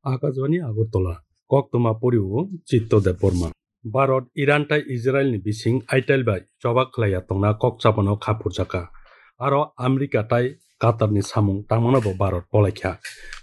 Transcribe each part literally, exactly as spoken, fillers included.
Akashbani Agartala, koktwma poriwo Chitto Debbarma. Bharat, Iran tai Israel ni bising aitel bai choba khlaiya tongna kok chapano kha phurjakha. Aro America tai Qatar ni samung tangmano bo Bharat polaikha.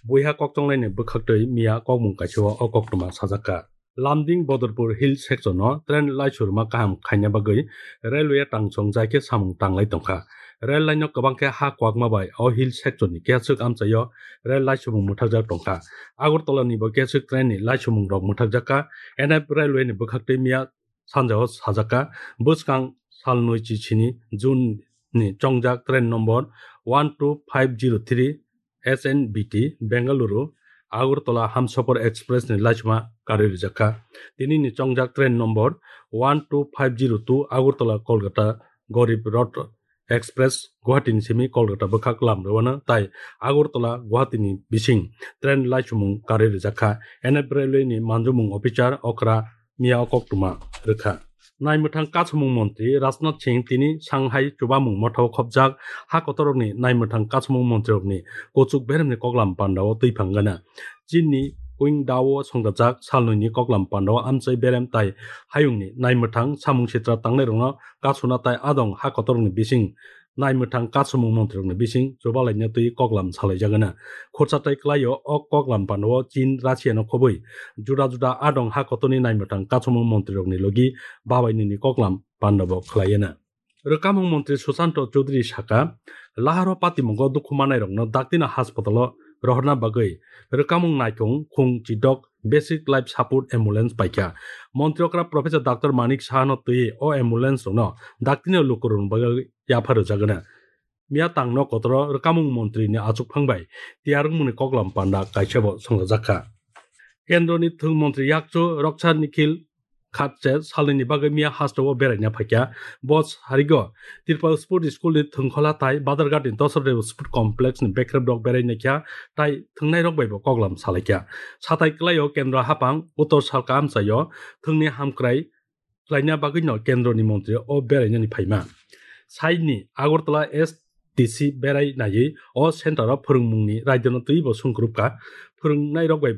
Buiha kokchonglai ni bwkhaktwi miya kokmung kaisa o koktwma sajakha. Lumding Badrpur Hill section no train laichurma kaham khaina bagwi railway tangchong jai khe samung tanglai tongkha. Rail line no kwbang khe ha kwakma bai o hill section ni kechwk amchaio rail laichumung mwthakjak tongkha. Agartala ni bo kechwk train ni laichumung rok mwthakjakha. N F railway ni bwkhaktwi miya sanjao sajakha. Bwskang salnwi chichini June ni chongjak train number one two five zero three S N B T Bengaluru Agartala Hamsapar Express ni laichuma karwi rijakha. Tini ni chongjak train number one two five zero two Agartala Kolkata Garib Rath Express Guwahati ni simi Kolkata bwkhak lam rwano tai Agartala Guwahati ni bising train laichumung karwi rijakha. N F railway ni manjumung officer okra miya o koktwma rwkha. Naimwthang kasamung montri Rajnath Singh tini Shanghai chubamung mothao khopjak ha kotorrokni naimwthang kasamung montriyokni kuchuk beremni koklam pandao twi phangana. Chinni Qingdao songdajak salnwini koklam pandao amchai berem tai hayungni naimwthang samung sitra tangnairokno kasuna tai adong ha kotorrokni bising naimwthang kasamung montrirokni bising chubalaina twi koklam salaijagana. Khorsa tai kwlaio o koklam pandao Chin Russia no khobwi juda juda adong ha kotorni naimwthang kasamung montrirokni logi babainini koklam pandabo khwlaiana. Rwkamung montri Susanto Chowdhury saka, laharo patimungo dukhu manairokno daktino haspatalo rohorna bagwi rwkamung naikung khung chidok basic life support ambulance paikha. Montri okra Professor Doctor Manik Sahano twi o ambulance rokno daktino lukurokni bagwi yapharwjagana. Miya tangno kotoro rwkamung montri ni achukphang bai tiyar wngmungni koklam panda kaisabo songchajakha. Kendroni thwng montri yakchu Raksha Nikhil Khatse salnwini bagwi miya hasteo beraina phaikha. Bo sarigo Tripura Sport School ni thwngkhola tai Badharghat ni Dasaradev Sport Complex ni bekrep rok beraina kha tai thwngnai rok bai bo koklam salaikha. Satai kwlaio Kendra hapang Uttor Salka amchaio thwngni hamkrai khlaina bagwino Kendroni montri o berainani phaima. Saini Agartala S D C berai naiwi o center o phwrwngmungni raidano twibo sungkrupkha, phwrwngnairok bai,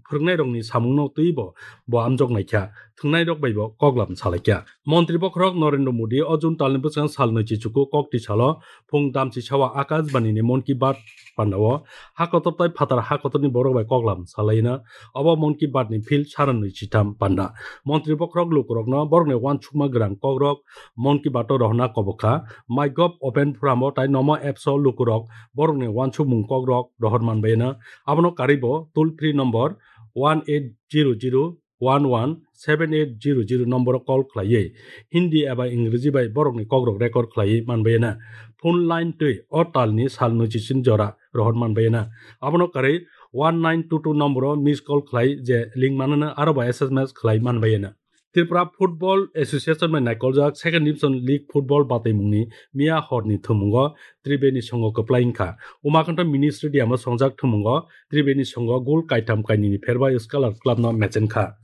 phwrwngnairokni samungno twibo bo amjok naikha, thwngnairok baibo koklam salaikha. Montri bokhorok Narendra Modi o June talni bwskango sal nwichi chuku kokti salo phung damchi sawa Akashbani ni Mon Ki Baat pandao ha kotor tai phatar ha kotorni borok bai koklam salaina. Obo Mon Ki Baat ni field sara nwi chitham panda. Montri bokhorok lukurokno borokni uansukma gwrang kokrok Mon Ki Baat o rohorna kobokha. MyGov open forum o tai Namo apps o lukurok borokni uansukmung kokrok rohor manbaino. Abono karwibo toll free number one eight zero zero one one seven eight zero zero number o call khlaiwi Hindi eba Ingreji bai borokni kokrok record khlaiwi manbaino. Phone line twi o talni sal nwichisin jora rohor manbaino. Abono karwi one nine two two number o miss call khlai je link manano aro ba S M S khlai manbaino. Tripura Football Association bai naikoljak Second Division League Football bataimungni miya horni thwngmungo Tribeni songo kwplai wngkha. Umakhanta Mini Stadium o songjak thwngmungo Tribeni songo goal kaitham kainwini pherbai Scholar Club no mechenkha.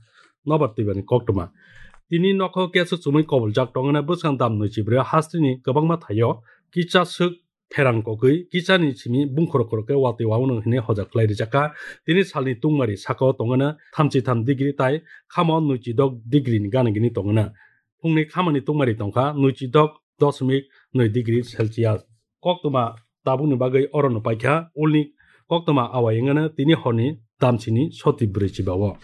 Nobar twibani koktwma. Tini nokho kesu chumui koboljak tongna bwskang dam nwi chibrwi hasteni kwbangma thaio kisa swk pherang kogwi kisani simi bungkhorok khorok khe watwi wawno hwnwi hoja khlai rijak kha. Tini salni tungmari saka o tongna thamchi tham degree tai khamo nwichi dok degree ni gana gini tongna. Phungni khamani tungmari tongkha nwichi dok dosmik nwi degree Celsius. Koktwma tabukni bagwi orono paikha ulni koktwma awai wngano tini horni damsini soti brwi chiba o.